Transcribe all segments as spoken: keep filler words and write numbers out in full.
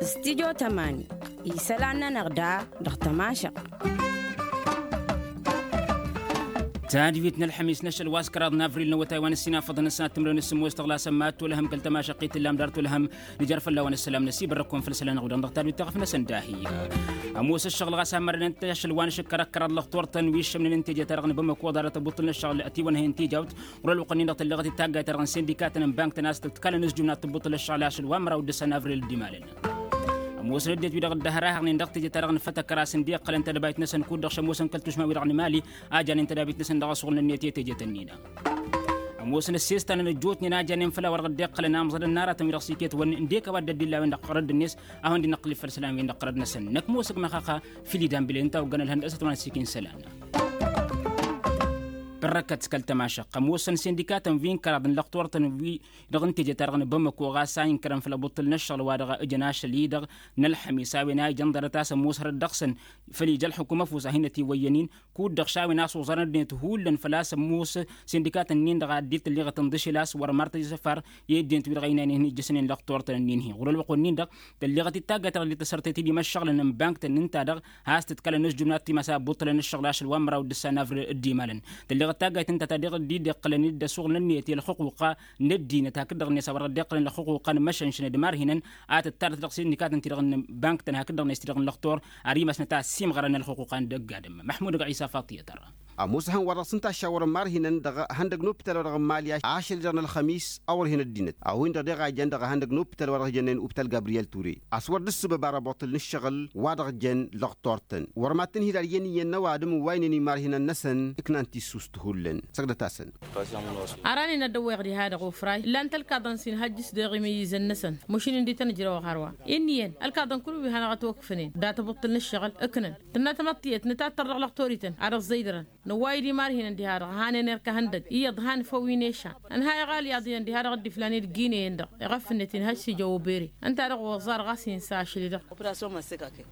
Stidyo tămani isălan-nănăɣ da dăɣ-tămašăɣt. Tadwit n-ălxămis n-ašăl wa s-kăraḍ n-avril n-awătay wa n-ăssinafăḍăn ăssinat timrăwen s-sǝmmos tăɣlasăn ma t-olăhăm kăl-tămašăɣt i-tǝllam dar t-olăhăm. Nǝjăr fălla-wen ăssălam n-ăsibărrăk-kăwăn făll-isălan n-aɣudăn dăɣ-tadwit taɣăf-năsăn dahi. Ămoos ăššăɣǝl ɣas ammărănen-t ašăl wa n-ašǝkkărăkkăraḍ lăxtur-tăn wi ǝššămnen n-tejăt-ta-dăɣ n-bamăko ḍarăt ăbuṭṭǝl n-ăššăɣǝl ătiwănhăyăn tijawt. Ɣur-ălwăqq-nin-dăɣ tălleɣăt i-taggayt-ta-dăɣ n-sindikatăn n-bank-tăn a-s tǝtkalăn s-jumnat tǝbbuṭṭǝl ăššăɣǝl ašăl wa n-măraw d-ǝssa n-avril dd-imalăn. Ămoosăn ăddinăt-wi-dăɣ dd-ăhrahăɣnen dăɣ-teje-ta-dăɣ n-fătăkkăr a-s ǝndiqqălăn tadăbayt-năsăn kud-dăɣ šămoosăn kăl-tušma-wi-dăɣ n-emali a janen tadabit-năsăn dăɣ-asuɣǝl n-ǝnniyăt i-tejet ǝnnin-a. Ămoosăn ăssestanăn ăjjootnen a janen făll-a-wa-dăɣ dd-iqqălăn amẓădăn n-aratăn-wi-dăɣ s-iket-wănnin ǝndek a-wa dd-ăddillawăn dăɣ-ɣărădd-net a hawăn-dd-inǝqqǝlǝf făll-isălan-wi-dăɣ ɣărădd-năsăn năkk mosăg măxaxa. Fil-idan bile ǝnta a oggăn ălhăndăsăt wa n-ăssikin isălan. Părrăkăt kăl-tămašăɣt ămoosăn sindikatăn wi n-kăraḍ n-lăxturtăn wi-dăɣ n-teje-ta-dăɣ n-bamăko ɣas a inkărăn făll-abuṭṭǝl n-ăššăɣǝl-wa-dăɣ ǝjăn ašăl-i-dăɣ n-ălxămis a-wen a ijăn ḍarăt a-s ămoos hărăt dăɣ-săn. Făl ija ălxukum ăfuss a hin-ătiwăyyăn-in kud-dăɣ šawen a-s uẓarăn ăddinăt hullan făl-a-s ămoos sindikatăn-nin-dăɣ a dd-tălliɣăt n-dăšel a-s wăr măr tăjjăsăfar i-ăddinăt-wi-dăɣ ăynaynen hin-ijjăsnen lăxturtăn-nin-hi ɣur-ălwăqq-wen-nin-dăɣ. Tălliɣăt d-taggayt ta dăɣ-dd-tăsărtet i-dd-imăššăɣlăn n-bank-tăn ǝnta-dăɣ has-tǝtkalăn s-jumnat timas a ăbbuṭṭălăn ǝššăɣǝl ašăl wa n-măraw d-ǝssa n-avril dd-imalăn. Tălliɣăt taggayt ǝnta ta dăɣ-dd-dd-iqqǝlăn d-ăsuɣǝl n-ǝnniyăt i-ălxuquqa n-ăddinăt hakd-dăɣ-net a wăr dd-iqqǝlăn ălxuquqa n-imăšănšăn d-imarhinăn a tǝttarăt dăɣ-sindikatăn-ti-dăɣ n-bank-tăn hakd-dăɣ-net ti-dăɣ n-lăxtor ar imasnăt a ăssiimɣărăn ălxuquqa n-dăgg-adǝm. Măḥmud ɣisa faṭiyăt ărra. Ămoos ihăn wa dăɣ-s ǝnta a šawărăn imarhinăn dăɣ-ihăndăg n-opital-wa-dăɣ n-imali ašăl-i-dăɣ n-ălxămis a wăr hin-ăddinăt a-wen-dăɣ deɣ a ijăn dăɣ-ihăndăg n-opital-wa-dăɣ ijănnen opital gabriyel ture a-s wăr dd-ǝssǝbăb ara ăboṭṭǝl n-ǝššăɣǝl wa dăɣ-jăn lăxtor-tăn wăr mad-tǝnhǝy d-alǝyyăn iyyăn n-ăwadǝm n-wa ǝynen imarhinăn-năsăn ǝknan tissust hullan. Săgdăt-asăn. Ara ănnin ad-ăwweɣ diha-dăɣ ofray ǝllan-t ălkaḍăn s-inhăjjǝs deɣ imǝyyǝzăn-năsăn. Măšin ǝndi tăn-ǝjrăwăɣ hărwa. Inn' iyyăn ălkaḍăn kull wi hanăɣ-ătwăkfǝnen dat-ăbuṭṭǝl n-ǝššăɣǝl ǝknăn tǝnna tamăḍtiyăt nǝtattăr dăɣ-lăxtorităn ad-ăẓẓăydărăn. Năwway-dd imarhinăn diha-dăɣ hanen erk ehăndăg iyyăḍ han făw inešan ănhayăɣ alyaḍ iyyăn diha-dăɣ dd-iflan i-dd-ginăyăn-dăɣ iɣăf-net inhăj s-ija obere. Ǝnta-dăɣ oẓar ɣas insa ašli-dăɣ.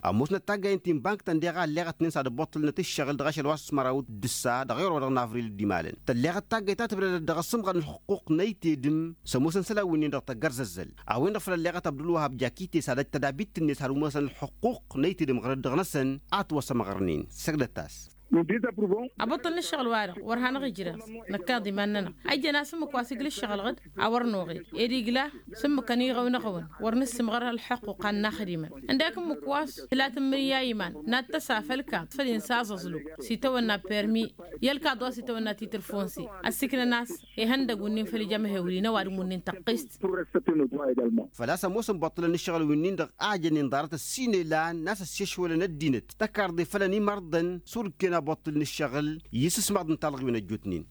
Ămoosnăt taggayen ti n-bank-tăn deɣ a ălleɣătnen s-ad-ăbbuṭṭǝlnăt ǝššăɣǝl dăɣ-ašăl wa s-măraw d-ǝssa dăɣ-iɣrǝw-wa-dăɣ n-avril dd-imalăn tălleɣăt taggayt ta tǝbdădăt dăɣ-asǝmɣăr n-ălxuqquq n-ăytedǝm s-ămoosăn isălan winnin-dăɣ tăggărzăzzăl. A-wen-dăɣ făl ălleɣăt abdulwăhab jakite s-ad-ăj tădabit-net har umăsăn ălxuqquq n-ăytedǝm ɣărăt dăɣ-năsăn a ătwăsămɣărnen. Săgdăt-as. Ăbbuṭṭǝl n-ǝššăɣǝl-wa-dăɣ wăr hanăɣ-ijreẓ năkkaḍ iman-nănăɣ. Ăjjăn a-s ǝmmǝk wa s-igla ǝššăɣǝl ɣǝd a wăr noɣed ed igla s-ǝmmǝkăn iɣăw n-aɣǝwăn wăr nǝssǝmɣăr ălxăqquqa n-inaxdimăn. Ǝndek ǝmmǝk wa s-tǝlatǝmmǝrǝy i-iman n-ad-tăsa făll-kaḍ făll-insa aẓăẓlu s-itawănna permi i-ălkaḍ wa s-itawănna titǝrfonse. Ăssiiknăn a-s ihăndăg wǝnnin făll-ija amhewli n-ăwadǝm wǝnnin tăqqist. Făl-a-s ămoosăn buṭṭǝlăn n-ǝššăɣǝl wǝnnin-dăɣ a jănnen ḍarăt ăssinelan n-a-s ăssiešwălăn ăddinăt tăkarḍe fălăn imărḍăn s-urǝkken aboṭṭǝl n-ǝššăɣǝl i-isǝsmaḍ n-talɣiwen ăjjootnen.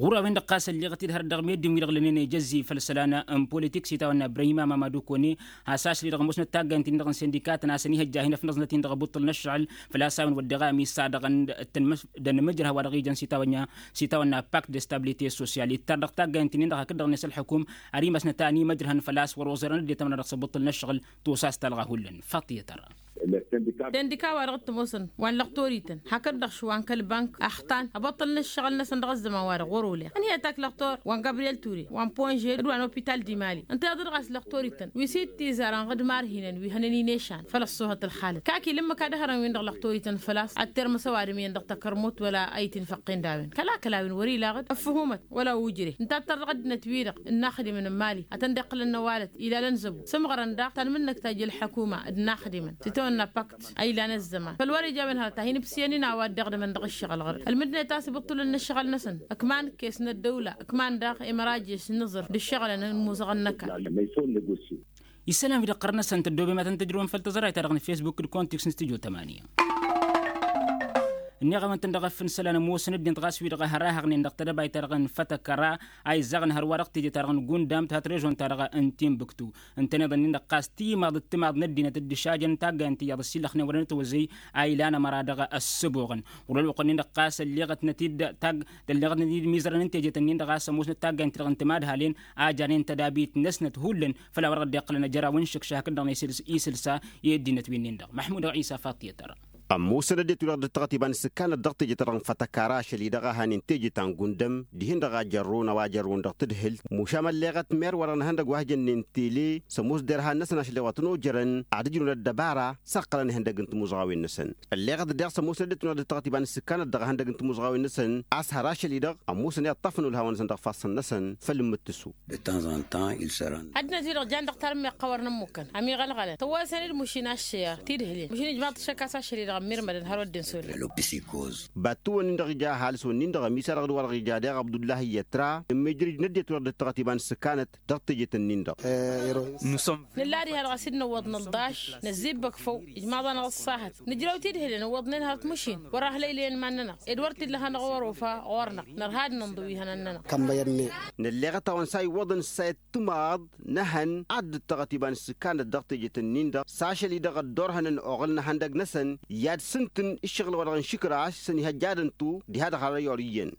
Ɣur-a-wen-dăɣ ɣas ălleɣăt-dd hărăt dăɣ-meddǝn-wi-dăɣ lănnen ijăzzi făll-isălan n-politik s-itawănna ibrahim amama d-okone. Has-ašli-dăɣ ămoosnăt taggayen-tin-dăɣ n-sindikatăn a-s ănihăjja hin-ăfnăẓnăt-in dăɣ-abuṭṭǝl n-ăššăɣǝl. Făl-a-s a-wen wădden ămis-a-dăɣ dd-tăn-măjrăh a-wa dăɣ-ijăn s-itawănna pakt de stabilite sosyal ittar dăɣ-taggayen-tin-in-dăɣ hakd-dăɣ-net ălxukum ar imasnăt a ănimăjrăhăn făl-a-s wăr-oẓărăn ăddinăt ămăra dăɣ-s abuṭṭǝl n-ăššăɣǝl. Tusa s-talɣa hullan faṭiyăt ărra. Tendika-wa-dăɣ t-ămoosăn wa n-lăxtorităn hakd-dăɣ šwa n-kăl-bank axtan ăbăṭṭăl n-ǝššăɣǝl-năsăn dăɣ-ăzzăman-wa-dăɣ wăr-oleɣ ănhăyăt ak lăxtor wa n-gabriyel ture wa n-ponžed d-wa n-opital d-imali. Ǝnta iyyăḍ dăɣ-a-s lăxtorităn wi s-dd-tizarăn ɣǝd marhinăn wi hănen inešan făll-ăṣṣuhăt ălxalăt kak ila ǝmmǝk ad-ăhrăn-win-dăɣ lăxtorităn făl-a-s ad-termǝs ăwadǝm iyyăn dăɣ-takărmut wăla a itǝnfăqqen d-a-wen kăla kăla-wen wăr-ila ɣǝd ăffǝhumăt wăla ujre. Ǝnta a tăr dăɣ-ăddinăt-wi-dăɣ ǝnnaxdimăn n-imali ad-tăn-dd-iqqǝlăn n-ăwalăt ilalăn zăbu sǝmɣărăn daɣ tanmǝnnăkt ta ija ălḥăkuma d-inaxdimăn s-itawănna pakt a ilan ăzzăman făl wăr-ija a-wen hărăt ad-hin-ǝbsǝyăn-in a-wa dd-iɣdǝmăn dăɣ-ǝššăɣǝl ɣǝr-dd ălmǝddǝnet a-s ibǝṭṭǝlăn n-ǝššăɣǝl-năsăn. Ǝkman kes n-ăddăwla ǝkman daɣ imărajes n-iẓǝr d-ǝššăɣǝlăn n-imuzăɣăn n-ăkall. Isălan-wi-dăɣ ɣărăn-năsăn tăddoobem ad-tăn-tǝjrǝwăm făll-tăẓrayt-ta-dăɣ n-fesbuk d-kontiks n-studyo tămaniya. Ǝnniɣ-awăn-tăn dăɣ-ăff n-isălan ămoosăn ăddinăt ɣas wi-dăɣ ăhrahăɣnen dăɣ-tedăbayt-ta-dăɣ n-fătăkăra a izzăɣăn hărwa dăɣ-teje-ta-dăɣ n-gundam tăhăt režon-ta-dăɣ n-timbuktu. Ǝntăneḍ-ǝnnin-dăɣ ɣas timaḍ d-timaḍ n-ăddinăt dd-išajăn taggayăn tiyyăḍ ăsillăxnen wăren ătwăzzăy a ilan ămăra dăɣ-ăssăboɣăn. Ɣur-ălwăqq-nin-dăɣ ɣas ălleɣătnăt-dd tag tălleɣătnăt-dd imizărăn n-tejet-nin-dăɣ ɣas ămoosnăt taggayăn-ti-dăɣ n-timadhalen a janen tădabit-năsnăt hullan. Făl a wăr dăɣ-dd-iqqălăn ăjăraw n-išǝkša hakd-dăɣ n-isǝlsa i-ăddinăt wi-nin-dăɣ măḥmud ɣisa faṭiyăt ărra. Ămoosăn ăddinăt-wi-dăɣ dd-tăɣăt iba n-isǝkkanăt dăɣ-teje-ta-dăɣ n-fatăkara ašăl-i-dăɣ a hanen teje ta n-gundăm dihen-dăɣ a jărrun a-wa jărrun dăɣ-tǝdhǝl. Mušam ălleɣăt mer-wa-dăɣ n-ehăndăgg wa hǝjănnen tele s-ămoos derhan-năsăn ašăl i-wa tăn-ojărăn ad-ǝjrǝwăn ăddăbara s-ăqqălăn ihăndăgg n-timuzɣawen-năsăn. Ălleɣăt daɣ s-ămoosăn ăddinăt-wi-dăɣ dd-tăɣăt iba n-isǝkkanăt dăɣ-ihăndăgg n-timuzɣawen-năsăn a-s hărr ašăl-i-dăɣ ămoosăn iṭṭafăn ulhawăn-năsăn dăɣ-ifassăn-năsăn făll-imǝttǝsu. Ăddinăt-wi-dăɣ jan dăɣ-tarǝmmeɣt ɣawăr n-ămmukăn ămiɣălɣălăn tăwwăsăn-dd mušin aššăyar tidhǝlen mušin ijmaḍ-t ašăk a-s ašăl-i-dăɣ ămmirmădăn har wădden sodăl. Battǝwăn-in-dăɣ ija ăhalǝs-wăn-in-dăɣ ămisa-dăɣ d-wa-dăɣ ija daɣ abdullahi i-ătra ǝmmijrǝj n-ăddinăt-wi-dăɣ dd-tăɣăt iba n-isǝkkanăt dăɣ-tejet-nin-dăɣ. Nǝlla diha-dăɣ a-s dd-nǝwwăḍ nǝlḍaš năzzibbăk făw ijmaḍ-anăɣ ăṣṣahăt nǝjrăw tidhǝlen ǝwwăḍnen hărăt mušin wăr-ahlăylăyăn iman-nănăɣ ed wăr t-illa hanăɣ-wăr-ofa ɣur-năɣ nărha ad-nǝnḍǝw ihănan-nănăɣ. Nălleɣăt-awăn s-a iwwăḍăn s-a ittumaḍ n-ehăn ad-dd-tăɣăt iba n-isǝkkanăt dăɣ-tejet-nin-dăɣ s-ašăl-i-dăɣ ăddoorhănăn oɣǝl n-ehăndăg-năsăn i-ad-sǝntǝn ǝššăɣǝl-wa-dăɣ n-išǝkraš s-ănihăjjadăn-tu diha-dăɣ har ăyyor iyyăn.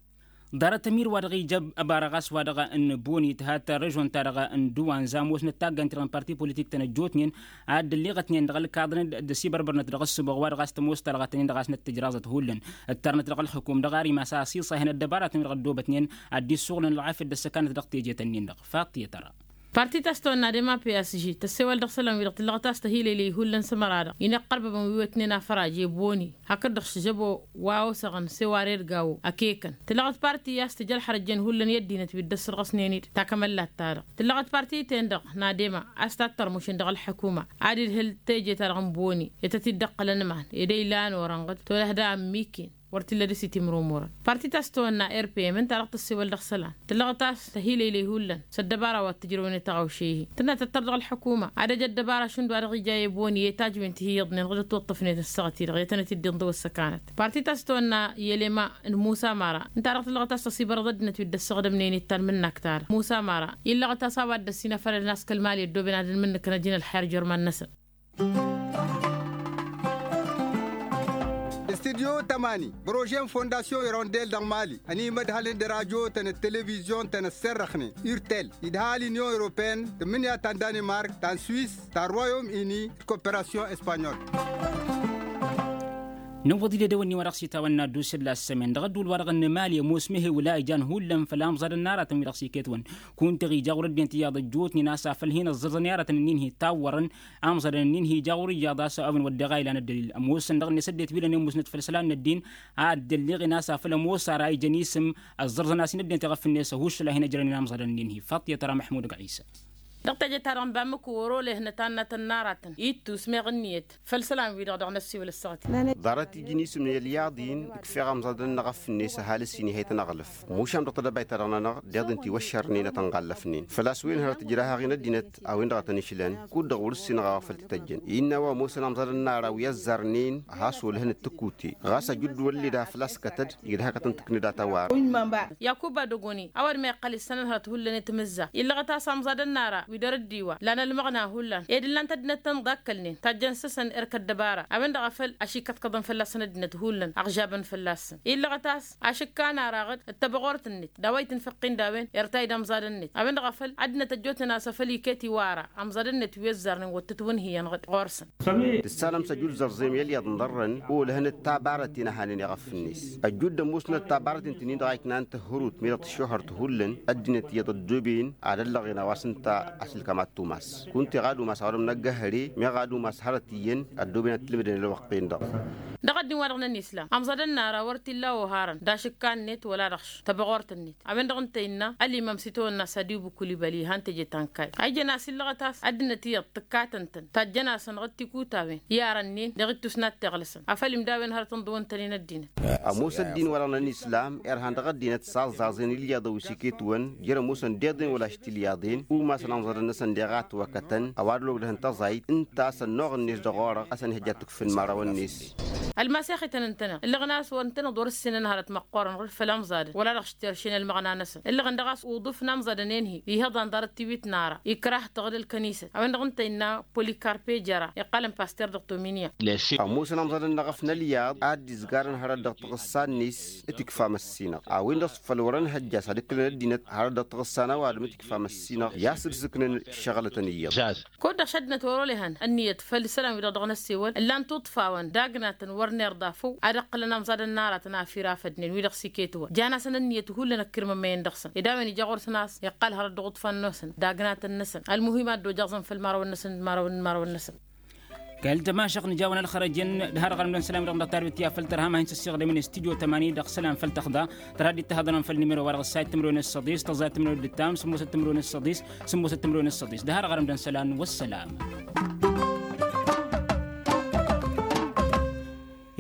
Ḍarăt ămir-wa-dăɣ ija ăbara ɣas wa-dăɣ n-boni tǝhat režon-ta-dăɣ n-duwanza ămoosnăt taggant-i-dăɣ n-parti politik-tăn ăjjootnen ad-dd-ălliɣătnen dăɣ-ălkaḍăn d-ăsibărbărnăt dăɣ-ǝssǝboɣ wa-dăɣ a-s tămoos talɣat-nin-dăɣ a-s năttǝjraẓăt hullan. Ǝttărnăt dăɣ-ălxukum dăɣ-ar imas a ăsiṣahen ăddăbaratăn-wi-dăɣ ăddoobătnen ad-dd-issuɣǝlăn ălɣafyăt d-ăssăkanăt dăɣ-teje-tăn-in-dăɣ. Faṭṭiyăt ara. Parti ta s-tăwănna dema p s g tăssewăl dăɣ-isălan-wi-dăɣ tǝllăɣăt a-s tăhilăylăy hullan s-ămăra-dăɣ inăqqărbăbăn wi wetnen afăraje boni hakd-dăɣ šžăbo wa osăɣăn s-eware d-gawo ăkekăn tǝllăɣăt parti a-s tǝjălxăr ăjjeen hullan i-ăddinăt wi dd-ăssărɣăsnen-dd takămăllat-ta-dăɣ tǝllăɣăt parti-ten-dăɣ n-adema a-s tattărmušen dăɣ-ălḥăkuma ad-idhǝl teje-ta-dăɣ n-boni i-tăt-dd-ăqqălăn iman ed ăylan orănɣăd tolăh da ămmiken. Wăr t-illa dăr-s itimrumurăn parti ta s-tăwănna rpm ǝnta-dăɣ tăssewăl dăɣ-isălan tǝllăɣăt a-s tăhilăylăy hullan s-ăddăbara wa t-ǝjrăwăn i-taɣăwše-hi tǝnna tăttăr dăɣ-ălḥukuma ad-ăj ăddăbara šund wa dăɣ-ija i-boni i-tajwen ti hi-iyyăḍnen ɣǝd ătwăṭṭăfnet ăssaɣăt-i-dăɣ i-ad-tănăt-dd-inḍǝw ăssăkanăt parti ta s-tăwănna i-elema n-musa mara ǝnta-dăɣ tǝllăɣăt a-s tăsibărăḍ ăddinăt wi dd-ăssăɣdămnen i-talmǝnnakt-ta-dăɣ musa mara illăɣăt a-s a-wa dd-ăssinăfălăn a-s kăl-mali ăddooben ad-ănmǝnnǝkăn ăjǝn ălxer jărman-năsăn. Studyo tămani bărožen fondasyon irondel dăɣ-mali ănimădhălăn d-radyo-tăn d-televizyon-tăn ăssărrăxnen urtel idha l-inyon europen tǝmmǝnǝya ta n-danimark ta n-swis ta n-royom ini d-koperasyon espanyol. Nǝwwăḍ-dd edăwănni wa dăɣ-s itawănna dd-usǝlla s-sămen dăɣ-ădduul-wa-dăɣ n-mali ămoos mehewǝl a ijan hullan făll-amẓad n-aratăn wi-dăɣ s-iket-wăn kunta iɣija ɣur-ăddinăt iyyăḍ ăjjootnen a-s afăl hin-ăẓẓăr s-ăniyarătăn-nin hi-tawwărăn amẓadăn-nin hi-ija ɣur-iyyăḍ a-s a-wen wădden a ilan ăddălil ămoosăn dăɣ-net ăddinăt wi lănen musnăt făll-isălan n-ăddin a dd-ălliɣen a-s afăl ămoos ara ijăn isǝm ăẓẓărẓăn-as-in ăddinăt iɣăf-net ăhuššăl a hin-ăjrănen amẓadăn-nin hi-faṭṭiyăt ara măḥmud găɣisa. Dăɣ-teje-ta-dăɣ n-bamǝku wăr-olehănăt annăt ănnaratăn ittus meɣ ǝnniyăt făll-isălan-wi-dăɣ dăɣ-năssiwǝl ăssaɣăt-i. Ḍarăt iji n-isǝm n-ălyaḍ-in ǝkfeɣ amẓadăn n-aɣăf-net ăhalǝs-in ihăyt ănăɣlǝf mušam dăɣ-tedăbayt-ta-dăɣ-nănăɣ deḍ-in tiwăššărnen ad-tăn-ɣallăfnen făl-a-s wen hărăt ǝjrah-aɣ-in ăddinăt a-wen-dăɣ a tăn-išlăn kud-dăɣ wăr-ǝssinăɣ a-wa făl t-tăjjăn innă a-wa ămoosăn amẓadăn n-ara wi ăzzarnen a has-olhăn d-tǝkute ɣas ajǝddu wălled a făl-a-s kătăd igdăh-ak ad-tăn-tǝknǝd a tawar. Yakuba dogoni a-wa dd-meqqăl issănăn hărăt hullan i-timǝzza illăɣăt a-s amẓadăn n-ara wi dăr-ăddiwa lan ălmăɣna hullan ed ǝllan-t ăddinăt tăn-dd-akkălnen tajjăn s-săn erk ăddăbara a-wen-dăɣ a făl ašikăḍkăḍăn fălla-săn ăddinăt hullan ăɣžabăn fălla-săn illăɣăt a-s ašǝkka n-araɣăd d-tăbăɣort-net d-a-wa itǝnfăqqin d-a-wen irtay d-amẓadăn-net a-wen-dăɣ a făl ăddinăt ăjjootnen a-s afăl iket iwara amẓadăn-net wi ăzzarnen wăr tǝtwǝnhǝyăn ɣur-săn. Tǝssanăm s-ăjud zărẓem i-ălyaḍ n-iḍărrăn olăhăn d-tabarăten a hanen iɣăf-net ăjud d-ămoosnăt tabarăten ti-nin-dăɣ a iknan tǝhhărut mi-dăɣ tǝššohărt hullan ăddinăt iyyăḍ ăddooben ad-ăllăɣen a-wa s-ǝnta ašǝlkam ad-tumas kunta iɣad umas a-wa dăɣ-năggăhăre meɣ ad-umas hărăt iyyăn ăddooben ad-t-ǝlmǝdăn ălwăqq-en-dăɣ. Dăɣ-ăddin wa dăɣ-năn islam amẓadăn n-ara wăr t-illa oharăn d-ašǝkka-net wăla dăɣ-š tăbăɣort-net a-wen-dăɣ ǝnta innă ălimăm s-itawănna s-adibu kulibali han teje ta n-kayy a ijăn a-s illăɣăt a-s ăddinăt iyyăḍ tǝkkatăn-tăn tajjăn-asăn ɣǝd tikutawen i-arănnen dăɣ-ittus n-ad-t-iɣlăsăn afăl imdawen hărăt ǝnḍǝwăn-tăn-in ăddinăt. Ămoos ăddin-wa-dăɣ n-ănislam irhan dăɣ-ăddinăt s-aẓẓaẓen ilyaḍăn wi s-iket-wăn jer-ămoosăn deḍen wăla ašti ilyaḍen umasăn amẓadăn-năsăn deɣ a ătwăkătăn ăwadǝl ogdăhăn tăẓayt ǝnta a-s ănnuɣ-net dăɣ-orăɣ a-s ănihăjja ad-tǝkfǝn imărawăn-net. Ălmasex-ităn ǝntăneḍ ǝllăɣăn a-s wăr ǝntăneḍ wăr-ǝssinăn hărăt măqqoorăn ɣǝd făll-amẓadăn wăla dăɣ-s terše n-ălmăɣna-năsăn ǝllăɣăn daɣ a-s uḍǝf n-amẓadăn-en-hi ihăḍan ḍarăt tiwit n-ara ikrah tăɣǝd ălkănisăt a-wen-dăɣ ǝnta innă polikarpe jăra iqqalăn paster dăɣ-tominya. Ămoosăn amẓadăn n-aɣăf n-ălyaḍ a dd-izgarăn hărăt dăɣ-taɣǝssa-net. Tikfam ăssinăɣ a-wen-dăɣ s-făl wăr ănhăjja s-ad-ǝkkǝlăn ăddinăt hărăt dăɣ-taɣǝssa n-ăwadǝm tikfam ăssinăɣ i-asǝd s-ǝknăn. Ǝššăɣǝlătăn iyyăḍ. Kud-dăɣ šăddinăt wăr-olăhăn ǝnniyăt făll-isălan-wi-dăɣ dăɣ-năssewăl ǝllan tuṭṭfawăn d-agnatăn. Wăr n-irḍa făw ad-ǝqqǝlăn amẓadăn n-aratăn a firafădnen wi-dăɣ s-iket-wăn jan-asăn ǝnniyăt hullan ăkkirmămmăyăn dăɣ-săn ed a-wen ija ɣur-săn a-s iqqal hărăt dăɣ-uḍfan-nosăn d-agnatăn-năsăn. Ălmuhim ad-dd-ojăẓăn făll-imărawăn-năsăn d-imărawăn n-imărawăn-năsăn. Kăl-tămašăɣt nǝja-wăn ălxărăjăn d-harăɣ-anămdăn isălan-wi-dăɣ dăɣ-tarbit i-ad-făl tărha ma hin-săssiɣdăm-in studio tămani dăɣ-isălan făll-tăxḍa. Tăra dd-tahăḍănăm făll-nimero-wa-dăɣ ǝssayăt timǝrwen d-săḍis tăẓẓayăt timǝrwen d-ǝttam sǝmmosăt timǝrwen d-săḍis. Sǝmmosăt timǝrwen d-săḍis d-harăɣ-anămdăn isălan wăssălam.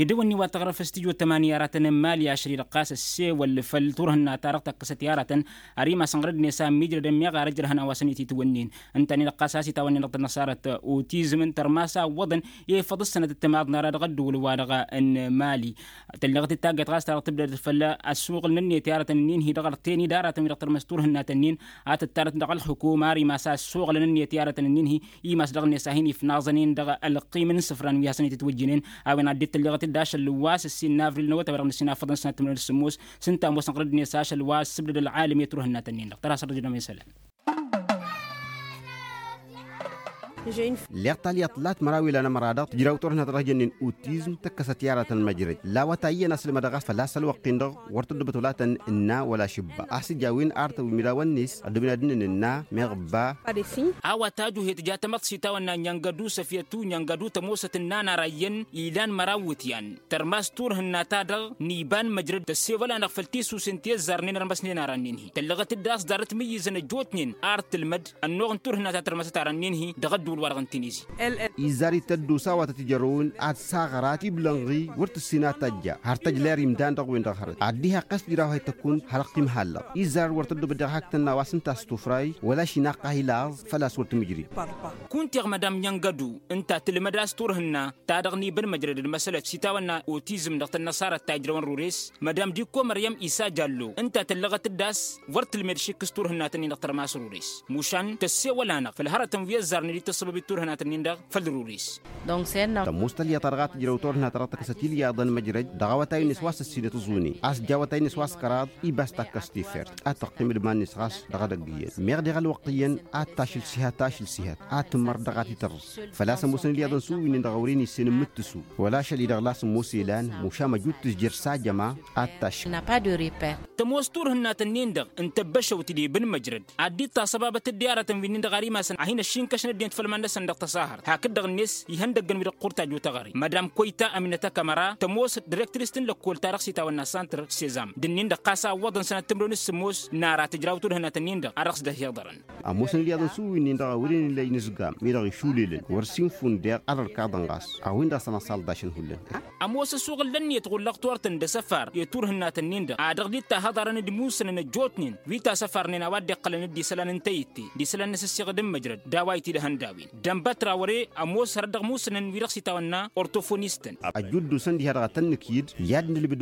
Idăwănni wa tăɣrăf s-tijot tămani aratăn n-imali ašăl-i-dăɣ ɣas ăssewăl făll-turhǝnna-ta-dăɣ tăkkăsăt i-aratăn. Ar imasăn ɣărăd-net a ǝmmijrădăn meɣ ar ăjrăhăn a-wa s-ănititwǝnnin. Ǝnta-nin-dăɣ ɣas a-s itawănnen dăɣ-tănnăṣarăt otizm n-tărmas a ǝwwăḍăn i-făḍ ǝssănăt ǝttămaḍ n-ara dăɣ-ăddǝwǝl-wa-dăɣ n-imali. Tălleɣăt d-taggayt ɣas ta dăɣ-tǝbdăd făll-ăssuɣǝl n-ǝnniyăt i-aratăn-nin-hi dăɣ-arăten-wi-dăɣ tărmăs turhǝnnatăn-nin. A tǝttarăt dăɣ-ălxukum ar imas a ăssuɣǝlăn ǝnniyăt i-aratăn-nin-hi. Imas dăɣ-net a hin-ifnaẓăn-in dăɣ-ălqim n-isǝfran wi hasăn-itǝtwǝjjǝnen. A-wen ad-dd-tălleɣăt-dd ašăl wa s-ǝssin n-avril n-awătay wa dăɣ-nǝssin afăḍăn sănat tǝmrăd s-sǝmmos. S-ǝnta ămoosăn ɣărăd-net ašăl wa s-sǝbdăd ălɣalăm i-turhǝnnatăn-nin-dăɣ tăra s-ărrăjădăm isălan. Leɣ talyaḍt lat măraw ilan ămăra-dăɣ tǝjraw turhǝnna ta dăɣ-jănnen otizm tăkkăsăt i-aratăn măjrăj. La awătay iyyăn a-s ǝlmădăɣ a-s făl-a-s ălwăqq-in-dăɣ wăr tăddobăt wăla tăn-ǝnna wăla šǝbba a-s ija a-wen artăw imrawăn-net ăddooben ad-ǝnnǝn ǝnna meɣ ǝbba. A-wa tajuje tǝja tamăḍt s-itawănna njăngădu săfyătu njăngădu tămoosăt ǝnna n-ara iyyăn ilan măraw iwǝtyan. Tărmas turhǝnna-ta-dăɣ n-iba n-măjrăd tăssewăl-anăɣ făll-tisusen ti ăzzarnen ărmăsnen ara-nin-hi tăllăɣăt-dd a-s ḍarăt mǝyyǝzăn ăjjootnen ar tǝlmăd ănnuɣ n-turhǝnna ta tărmăsăt ara-nin-hi dăɣ-ăddǝwǝl-wa-dăɣ n-tinizi. Izzar-i tăddos a-wa tăt-ijărrăwăn ad-saɣărat ibla n-ɣi wăr tǝssin ad-tajja har tăjler imdan dăɣ-wen-dăɣ hărăt ad-dd-iha ăqqes tǝjraw a hi-tăkkun har ăqqim hallăɣ. Izzar wăr tăddobăt dăɣ-hak tănna wa s-ǝnta a-s tufray wăla ašinaqqa a hi-laẓ făl-a-s wăr tǝmǝjrǝy. Kunta iɣmădam njăngădu ǝnta tǝlmăd a-s turhǝnna ta dăɣ-nibǝn măjrăd d-măsălăt s-itawănna otizm dăɣ-tănnăṣarăt ta ijrăwăn rures. Mădam dikko măryăm isa jallo ǝnta tăllăɣăt-dd a-s wăr tǝlmed šik s-turhǝnnatăn-in dăɣ-tărmas rures. Mušan tăssewăl-anăɣ făll-hărătăn wi ăzzarnen d-tăssăbăbit turhǝnnatăn-in-dăɣ făll-rures. Tămoos talyaḍt-ta-dăɣ a tǝjrăw turhǝnna ta dăɣ-tăkkăsăt ilyaḍăn măjrăj dăɣ-awătay-net wa s-ăssinăt ǝẓune a-s ǝjja awătay-net wa s-kăraḍ. Ibas takkăs tifert ad-tăqqim d-iman-net ɣas dăɣ-edăgg iyyăn meɣ deɣ ălwăqq iyyăn ad-tašǝl s-ihat ašǝl s-ihat ad-tǝmmăr dăɣ-ad-t-tărrǝs. Făl-a-s ămoosăn ilyaḍăn s-uwǝynen dăɣ-a wăren issen n-imǝttǝsu wăla ašăl-i dăɣ-las ămoos ilan mušam ăjut tǝzjăr s-ajăma ad-tašǝl. Tămoos turhǝnnat-ǝnnin-dăɣ n-tăbbăšăwt d-ibǝn măjrăd ad-dd-taṣăbabăt d-iyaratăn wi-nin-dăɣ ar imasăn a hin-ăššinkăšăn ăddinăt făll-iman-năsăn dăɣ-taṣahărt hakd-dăɣ-net ihăndăggăn wi-dăɣ ɣur-tajju taɣăre. Mădam koyta aminăt akămăra tămoos dirăktris n-lăkkol-ta-dăɣ s-itawănna santr sezam d-ǝnnin-dăɣ ɣas a ǝwwăḍăn sănat timǝrwen s-sǝmmos n-ara tǝjraw turhǝnnat-ǝnnin-dăɣ a dăɣ-s dd-ăhiḍărăn. Ămoosăn ilyaḍăn s-uwǝynin-dăɣ a wăren illa inǝzgam-i-dăɣ išulelăn wăr sinfun deɣ ad-ărkaḍăn ɣas a-wen-dăɣ săn-ăṣalḍašăn hullan. Ămoos ăsuɣǝl n-ǝnniyăt ɣur-lăɣturtăn d-asăfar i-turhǝnnat-ǝnnin-dăɣ a dăɣ-dd-tahăḍarăn d-imusǝnăn ăjjootnen wi tasăfarnen a-wa dd-iqqălăn d-isălan n-tayǝtte d-isălan n-asǝssiɣǝd n-măjrăd d-a-wa itidhăn d-a-wen. Dănbătra wăr-e ămoos hărăt dăɣ-imusǝnăn wi-dăɣ s-itawănna ortofonistan. Ăjjuddu-săn diha-dăɣ ad-tăn-nǝkyǝd i-ad-nǝlmǝd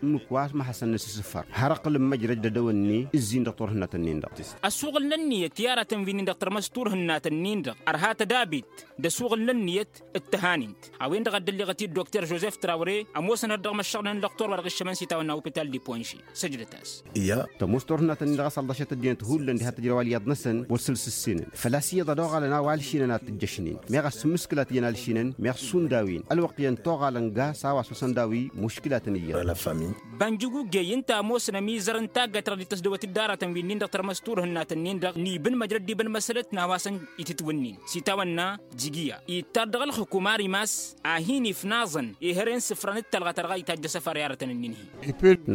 ǝmmǝk wa mahăsăn n-asǝssǝfăr har ăqqǝlăn măjrăj d-edăwănne ǝzzin dăɣ-turhǝnnat-ǝnnin-dăɣ. Ăsuɣǝl n-ǝnniyăt i-aratăn wi-nin-dăɣ tărmăs turhǝnnat-ǝnnin-dăɣ ărha tădabit d-asuɣǝl n-ǝnniyăt d-tăhanint. A-wen-dăɣ a dd-ălleɣăt-dd dokter žozef trawre ămoosăn hărăt dăɣ-imăššăɣnen ălăqtor wa dăɣ-iššămăn s-itawănna opital d-iponži. Săjdăt-as. Ija tămoos turhǝnnat-ǝnnin-dăɣ a sălḍăšăt ăddinăt hullan diha tǝjrăw alyaḍ-năsăn wăr săl s-ǝssinăn făl-a-s iyyăḍ ad-oɣalăn a-wa ălšinăn ad-t-ǝjjăšnen meɣ a-s sǝmmǝskǝlat iyyăn alšinăn meɣ šund a-wen ălwăqq iyyăn toɣalăn ga s-a-wa s-osăn d-a-wi muškǝlatăn iyyăḍ. Bănjǝgugey ǝnta ămoosăn ămizăr n-taggayt-ta-dăɣ dd-tăsdăwăt-dd aratăn wi-nin-dăɣ tărmăs turhǝnnat-ǝnnin-dăɣ n-ibǝn măjrăd d-ibǝn măsălăt n-a-wa s-itǝtwǝnnin s-itawănna. Jigiya ittar dăɣ-ălxǝkum ar imas a hin-ifnaẓăn i-hărăy n-isǝfran d-talɣa ta dăɣ-a itajj asăfar i-aratăn-ǝnnin-hi.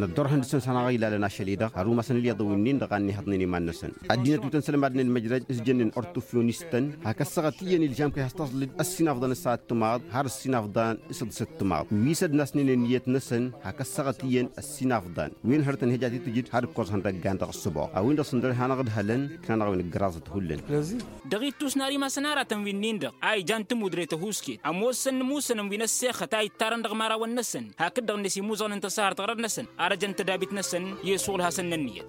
Năddorhăn dăɣ-săn s-hanăɣ-ilalăn ašăl-i-dăɣ har umasăn ǝlyaḍăn wi-nin-dăɣ a ǝnnihăḍnen iman-năsăn. Ăddinăt wi tăn-sălmadnen măjrăj s-jănnen ortofyonistăn hak ăssaɣăt iyyăn ilžam kăy-has tăẓlǝd ăssinafḍan s-ad-timaḍ har ăssinafḍan s-ad-timaḍ wi s-ăddinăsnen ǝnniyăt-năsăn hak ăssaɣăt iyyăn ăssinafḍan. Wen hărătăn hejat i-tǝjǝd har ǝkkoẓ ihăndăggan dăɣ-ǝssǝboɣ a-wen-dăɣ s-ǝndăr hanăɣ-ǝdhălăn. Ikna-năɣ a-wen ǝggăraẓăt hullan. Dd-aɣittus n-ar imasăn aratăn wi-nin-dăɣ a ijan tǝmudre tăhuusket ămoosăn imusănăn wi n-ăssexăt a ittarăn dăɣ-imărawăn-năsăn hakd-dăɣ-net imuẓăɣnen tăsahărt ɣărăd-năsăn. Ar ăjăn tădabit-năsăn i-asuɣǝl hasăn n-ǝnniyăt.